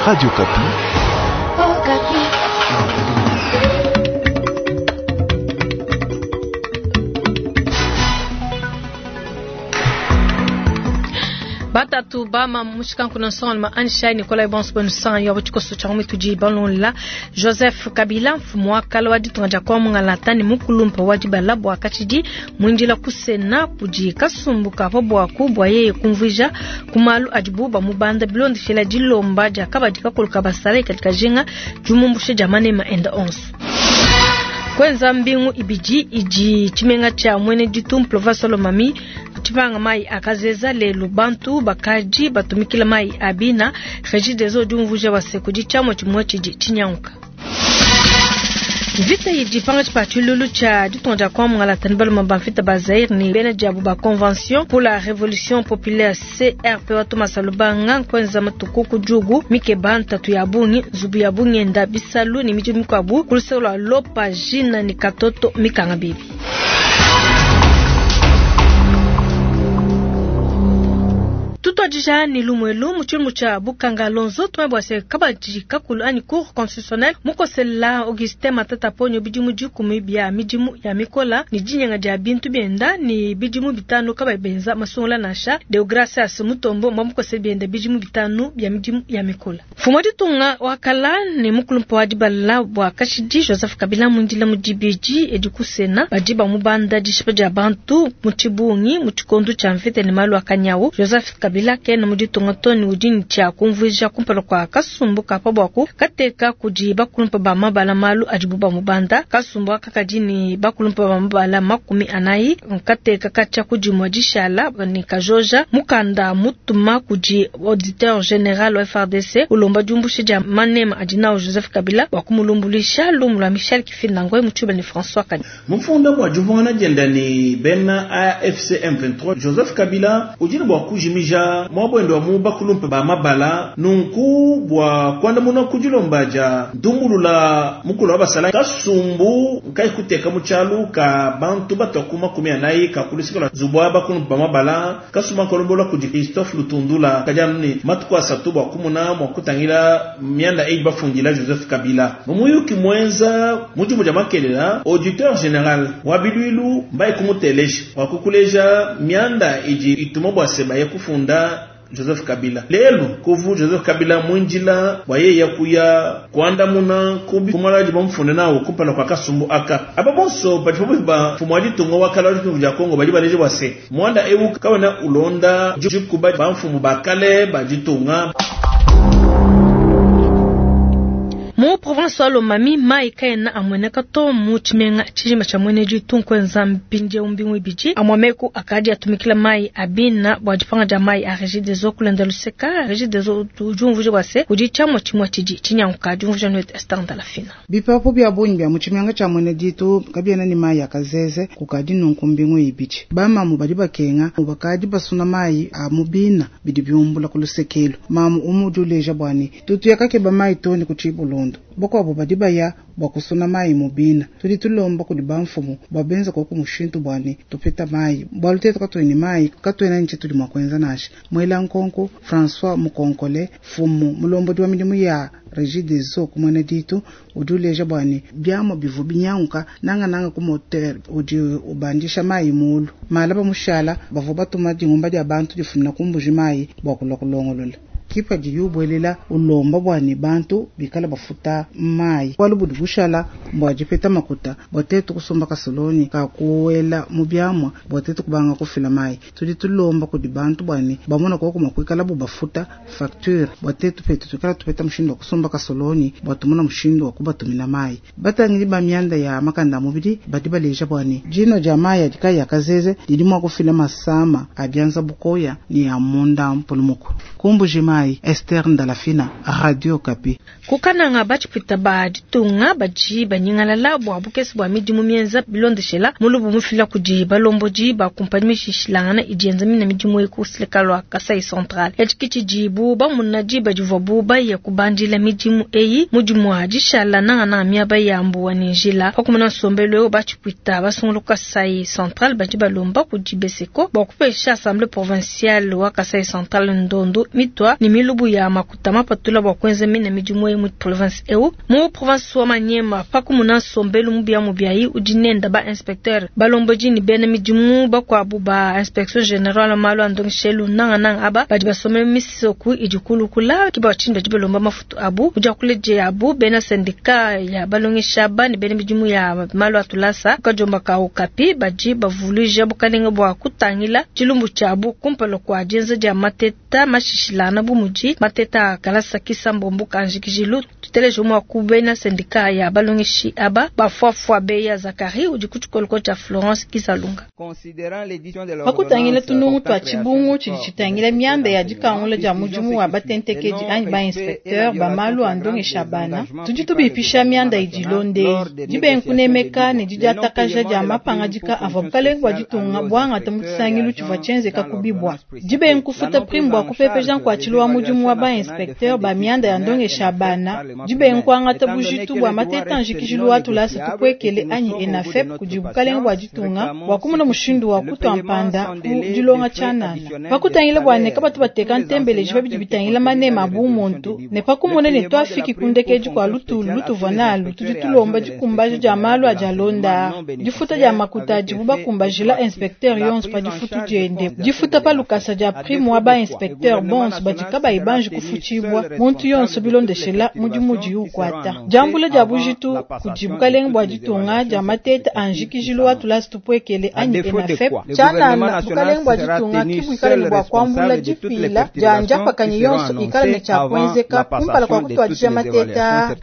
Radio Okapi. Okapi. Batatu bama mushikanku nsonga Anshai Nikolai bonso benu sanga yo tshikoso tsha mitudi balonla Joseph Kabila mfumu wa kala wa ditunga dia kwa mungalata ne mukulumpa wa dibala bua katshidi muindila ku Sena kudi kasumbu ka pa buaku bua yeye kumvuija ku malu adibu bamubanda bilondeshela dilomba dia kabadi kakulu ka basalayi kadi kajinga diumumbushe dia manema enda onso. Kwenza mbingu ibidi idi tshimenga tshia mwene ditu province Lomami tshipanga mai akazeza lelu bantu bakaji batumikila mai abina Regideso diumvuja wase kudi tshiamua tshimue tshidi tshinyanguka. Vita idi panga tshipa tshilulu tshia ditunga dia kwa mungalata ne baluma ba mvita ba Zaire ne bena diabu ba Convention pour la Révolution Populaire CRP wa Thomas Lubanga nkwenza matuku ku jugu mikeba ntatu ya bungi nzubu ya bungenda bisalu ne midimu mikuabu ku luseke lua Lopa Jina ne Katoto mikanga bibi. Tutuadija ne lumuelu mu tshilumbu tshia Bukanga Lonzo tumanye bua se kabadi kakulu anyi cour constitutionnelle mukosela Augustin Matata Ponyo bidimu dikumi bia midimu ya mikola ne dinyenga dia bintu bienda ne bidimu bitanu kabayi benza masungula nansha. Deogracias Mutombo mbamukosela bienda bidimu bitanu bia midimu ya mikola. Mfumu wa ditunga wa kala ne mukulumpa wa dibala bua kashidi Joseph Kabila muindila mu dibidi edi ku Sena badi bamubanda dishipa dia bantu mu tshibungi mu tshikondo tshia mvita ne malu a kanyawu. Joseph Kabila kena mu ditunga to ne udi ne tshia kumvuija kumpala kua kasumbu ka pa buaku kateka kudi bakulumpa ba mabala malu adibu bamubanda. Kasumbu aka kadi ne bakulumpa ba mabala 40 kateka katshia ku dimue dishala ne kajoja mukanda mutuma kudi auditeur general wa FARDC ulomba diumbusha dia manema adi nawu Joseph Kabila bua kumulumbuluisha. Lumu lua Michel Kifinda Ngoy Mutshuba ne François Kani. Mufunda bua diumvuangana dienda ne bena AFC M23 Joseph Kabila udi ne bua kujimija muabwendo wa mu bakulumpa ba mabala nunku bua kuandamuna ku dilomba dia ndumbulula mukulu wa basala kasumbu nkai kuteka mu tshialu ka bantu batua ku 40 ka kulusika lua nzubu wa bakulumpa ba mabala kasumbu akalombola kudi Christophe Lutundula kadi anu ne matuku asatu bua kumuna mua kutangila mianda eyi bafundila Joseph Kabila. Mu muyuki muenza mu dimu dia makelela auditeur general wa biluilu mbaye kumuteleja wa kukuleja mianda idi ituma bua seba ya kufunda Joseph Kabila. Lelu kuvu Joseph Kabila mwinjila bwa yeye kuya kuandamuna kubi kumala di bamfunde nawo kumpala kwa kasumbu aka. Aba bonso badi pabuipi ba mfumu wa ditunga wa kala wa ditunga dia Kongo badi baleje bua se mwanda ewu kawena ulonda dikuba ba mfumu ba kale ba ditunga. Mu province wa Lomami mai kaena amweneka to mu tshimenga tshijima tshia mwene ditu nkwenza mpindieu mbingu ibidi amwameku akadi atumikila mai abina bua dipanga dia mai a Regideso kulenda luseka. Regideso udi umvuija bua se kudi tshiamua tshimue tshidi tshinyanguka. Diumvuija nuetu Esther Ndalafina. Bipapu bia bungi bia mu tshimenga tshia mwene ditu kabiena ne mai akazeze kukadi nunku mbingu ibidi. Bamamu badi bakenga bakadi basuna mai a mu bina bidi biumbula ku lusekelu. Mamu umu udi uleja bua ne tutu yakakeba mai to ne ku tshibulondo. Bakuabu badi baya bua kusuna mai mu bina. Tudi tulomba kudi bamfumu bua benza koku mushintu bua ne tupeta mai. Bualu tetu katuena ne mai, katuena ne tshitudi mua kuenza nansha. Mwela nkonko François Mukonkole, mfumu mulombodi wa midimu ya Regideso ku mwene ditu, udi uleja bua ne biamua bivua binyanguka nangananga ku moteur udi ubandisha mai mulu. Mala ba mushala bavua batuma dingumba dia bantu difumina ku mbuji mai bua kulua kulongolola. Kipa di yubwelela ulomba bua ne bantu bikala bafuta mai. Bualu budi bushala bua dipeta makuta bua tetu kusomba kasoloni ka kuwela mu biamua bua tetu kubanga kufila mai. Tudi tulomba kudi bantu bua ne bamona koku mua kuikala bu bafuta facture bua tetu petu tuikala tupeta mushindu wa kusomba kasoloni bua tumona mushindu wa kubatumina mai. Batangidi ba mianda ya makanda a mubidi badi baleja bua ne dino dia mai adi kayi akazeze didi mua kufila masama a bianza bukoya ne a munda mpulumuku. Kumbuji mai Esther Ndalafina, Radio Okapi. Kukananga batshipwita ba ditunga badi banyingalala bua bukese bua midimu mienza bilondeshela mulubu mufila kudi balombodi ba kumpanyi mishishilangana idi yenza mina midimu eku luseka lua Kasai Central. Etshi tshidibu bamuna diba divuabu baya kubandila midimu eyi mudimu wa dishala nangananga miaba ya mbuwa ne njila. Pakumona nsombelu eu batshipwita basungula ku Kasai Central badi balomba kudi Beseko bua kupesha Assemblée provinciale wa Kasai Central ndondo mitwa ne milubu ya makuta mapatula bua kuenza mine midimu eyi mu province eu. Mu province wa Maniema, pa kumuna nsombelu mubiamubiayi udi nenda ba inspecteur balombodi ne bena midimu bakuabu ba inspection generale wa malu a ndongeshelu nangananga aba badi basombe misoku idi kulukula ke bua tshinyi badi balomba mafutu abu. Mu diakula diabu bena syndicat ya balongeshi aba ne bena midimu ya malu a tulasa ku kadiomba ka Okapi badi bavuluija bukalenge bua kutangila tshilumbu tshiabu kumpala kua dienza dia mateta mashishilangana bu mudi mateta a kalasa kisambombo ka njikijilu. Tuteleje umue wa ku bena syndicat ya balongeshi aba bafuafua Beya Zacharie udi ku tshikoloko tshia Florence Kizalunga. Pa kutangila tunungu tua tshibungu tshidi tshitangila mianda ya dikangula dia mudimu wa batentekedi anyi ba-inspecteur ba malu a ndongesha bana, tudi tubipisha mianda idi ilonda eyi, dibenga kunemeka ne didiatakaja dia mapangadika avua bukalenge bua ditunga buangata mu tshisangilu tshivua tshienzeka ku Bibwa, dibenga kufuta prime bua kupepeja nkuatshilu wa mudimu wa ba-inspecteur ba mianda ya ndongesha bana, dibenga kuangata bujitu bua mateta a njikijilu wa tulasa tupuekele anyi ENAFEP kudi bukalenge bua ditunga bua kumona mushindu wa kutua mpanda ku dilonga tshianana, pa kutangila bua ne kabatu bateka ntembeleji pa bidi bitangila maneme a bumuntu, ne pa kumona ne tuafiki ku ndekedi kua lutulu lutuvua nalu, tudi tulomba dikumbaja dia malu adi alonda aa, difuta dia makuta adibu bakumbajila inspecteur yonso pa difutu diende, difuta pa lukasa dia prime wa ba inspecteur bonso badi kabayi banji kufutshibua, muntu yonso bilondeshela mudimu udiye ukuata, diambula dia bujitu kudi bukalenge bua ditunga dia mateta a njikijilu wa tulasa tupuekele anyi ENAFEP. Tshianana, bukalenge bua ditunga ki buikale ne bua kuambula dipila dia ndiapakanyi yonso ikala ne tshia kuenzeka kumpala kua kutuadija mateta aa.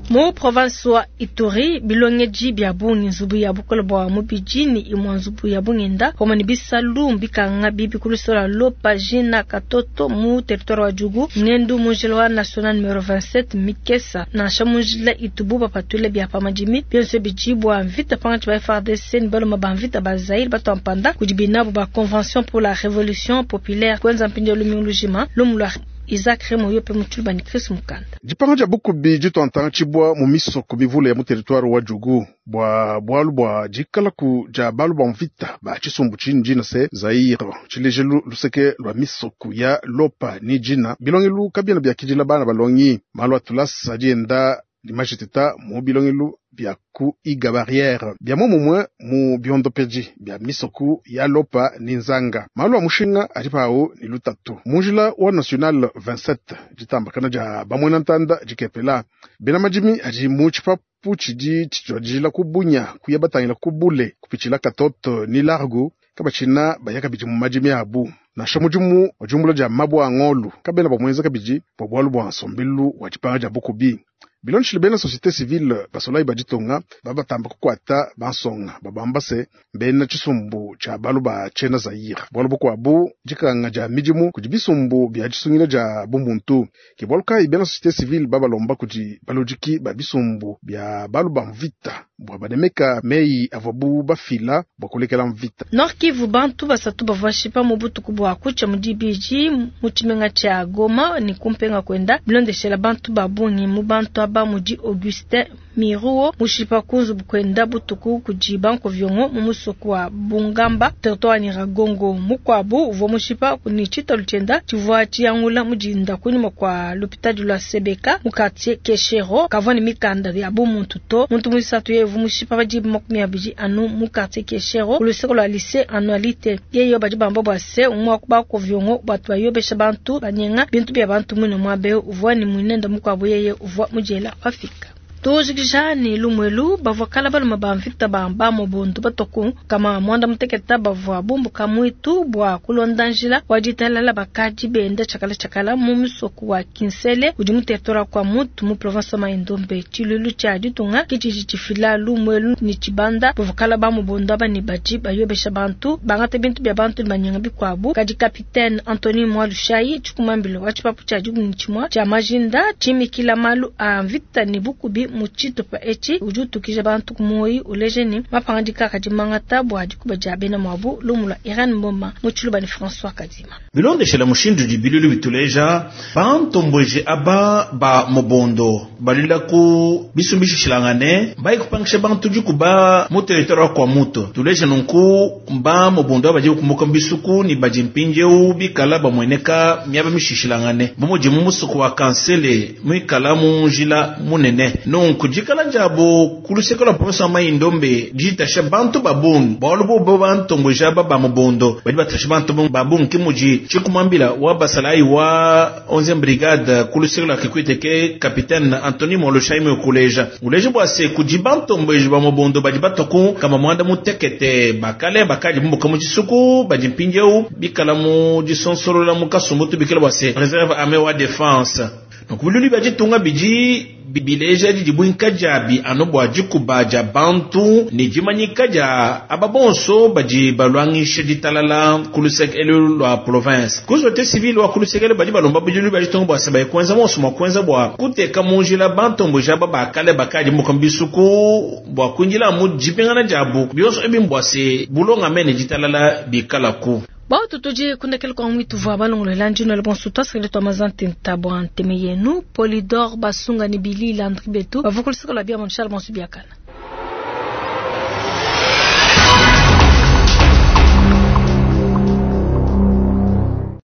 Mu province wa Ituri, bilongedi bia bungi, nzubu ya bukole bua mubidi ne imue nzubu ya bungenda pamue ne bisalu mbikanga bibi ku luseke lua Lopa, Jina, Katoto mu territoire wa Djugu. Ngendu mu njila wa national numero 27 mikesa nansha mu njila itubu bapatula bia pa madimi, bionso bidi bua mvita pankatshi ba FARDC ne baluma ba mvita ba Zaire batua mpanda kudi binabu ba Convention pour la Revolution Populaire kuenza mpindieu lumingu lujima. Lumu lua Isaac Remo Yope mu Tshiluba ne Chris Mukanda. Dipanga dia bukubi dituantantshibua mu misoko mivule ya mu territoire wa Djugu bua bualu bua dikalaku dia balu ba mvita ba tshisumbu tshini dina se Zaire tshilejelu luseke lua misoko ya Lopa ni Djina bilongelu kabiena biakidila bana balongi malu a tulasa adi enda ne majiteta mu bilongelu bia ku iga barriere bia muomumue mu biondopedi bia misoko ya Lopa ni Nzanga. Malu a mushinga adi pawu ne lutatu mu njila wa national 27 ditambakana dia bamuena ntanda dikepela bena madimi adi mu tshipapu tshidi tshituadijila ku Bunya kuya batangila ku Bule kupitshila Katoto ni Largo kabatshina baya kabidi mu madimi abu nansha mudimu wa diumbula dia mabue a ngolu kabena bamuenza kabidi bua bualu bua nsombelu wa dipanga dia bukubi. Bilondeshile bena société civile basolayi ba ditunga babatamba kukuata bansonga babamba se bena tshisumbu tshia balu ba tshiena Zaire. Bualu bukuabu dikanga dia midimu kudi bisumbu bia disungila dia bumuntu ke bualu kayi bena société civile babalomba kudi baludiki ba bisumbu bia balu ba mvita bua banemeka meyi avuabu bafila bua kulekela mvita. Nord Kivu, bantu basatu bavua bashipa mu butuku bua kutshia mu dibidi mu tshimenga tshia Goma ne kumpenga kuenda bilondeshela bantu ba bungi mu bantu aba mudi Augustin Miruo mushipa ku nzubu kuenda butuku kudi bankoviongo mu musoko wa Bungamba territoire wa Nyiragongo. Mukuabu uvua mushipa ne tshitalu tshienda tshivua tshiyangula mu dinda kunyima kua lupitadi lua Sebeka mu quartier Keshero kavua ne mikanda ya bumuntu to. Muntu muisatu yeye uvua mushipa pa diba 20 anu mu quartier Keshero ku luseke lua lycée Annualité. Yeye badi bamba bua se umue wa ku bankoviongo batu bayobesha bantu banyenga bintu bia bantu muine muaba eu uvua ne muinende mukuabu yeye uvua mudiela pafika. Tujikija ne lumuelu bavua kala balume ba mvita ba bamobondo batoku kama mwanda muteketa bavua bumbuka muitu bua kulonda njila wa ditalala bakadi benda tshiakala tshiakala mu musoko wa Kinsele udi mu territoire kwa Mutu mu province wa Mai-Ndombe. Tshiluilu tshia ditunga ke tshidi tshifila lumuelu ne tshibanda bavua kala bamobondo aba ne badi bayobesha bantu bangata bintu bia bantu ne banyenga bikuabu. Kadi capitaine Anthony Mwalushayi tshikumambilo wa tshipapu tshia 11 tshia majinda tshimikila malu a mvita ne bukubi. mu tshitupa etshi udi utukija bantu ku muoyi uleja ne mapangadika akadi mangata bua dikuba dia bena muabu. Lumu lua Irene Mboma mu Tshiluba ne François Kadima. Bilondeshela mushindu udi bilulu bituleja, bantomboji aba ba mobondo balwila ku bisumbu bishishilangane mbayi kupangisha bantu dikuba mu territoire wa Kwamouth. Tuleja nunku mba mobondo aba badi bakumbuka mu bisuku ne badi mpindieu bikala bamueneka miaba mishishilangane bu mudi mu musoko wa Kansele muikala mu njila munene. Nunku dikala diabu ku luseke lua province wa Mai-Ndombe ditasha bantu ba bungi, bualu bobo bantomboji aba ba mobondo badi batasha bantu ba bungi ke mudi tshikumambila wa basalayi wa 11e brigade ku luseke lua Kikwit ke capitaine Anthony Moloshaimi ukuleja. Uleja bua se kudi bantomboji ba mobondo badi batua ku kama muanda mutekete bakale bakadi bumbuka mu tshisuku badi mpindieu bikala mu disonsolola mu kasumbu tubikila bua se reserve armée wa défense. Nunku bilulu bia ditunga bidi bileja didibuinka diabi anu bua dikuba dia bantu ne dimanyika dia aba bonso badi balwangisha ditalala ku luseke elu lua province. Ku société civile wa ku luseke elu badi balomba bilulu bia ditunga bua se baye kuenza monso mua kuenza bua kuteka mu njila bantomboji aba bakale bakadi mbuka mu bisuku bua kuindila mu dipingana diabu. Bionso ebi mbua se bulongame ne ditalala bikalaku. Bautu tudi kundekela kwa mwitu vwa balongolola ndino le bonso twasakile twa mazante ntabwa nteme yenu Polydor Basunga ni Billy Landry Betu bavukulisaka la bia mon Charles Bonsu biakana.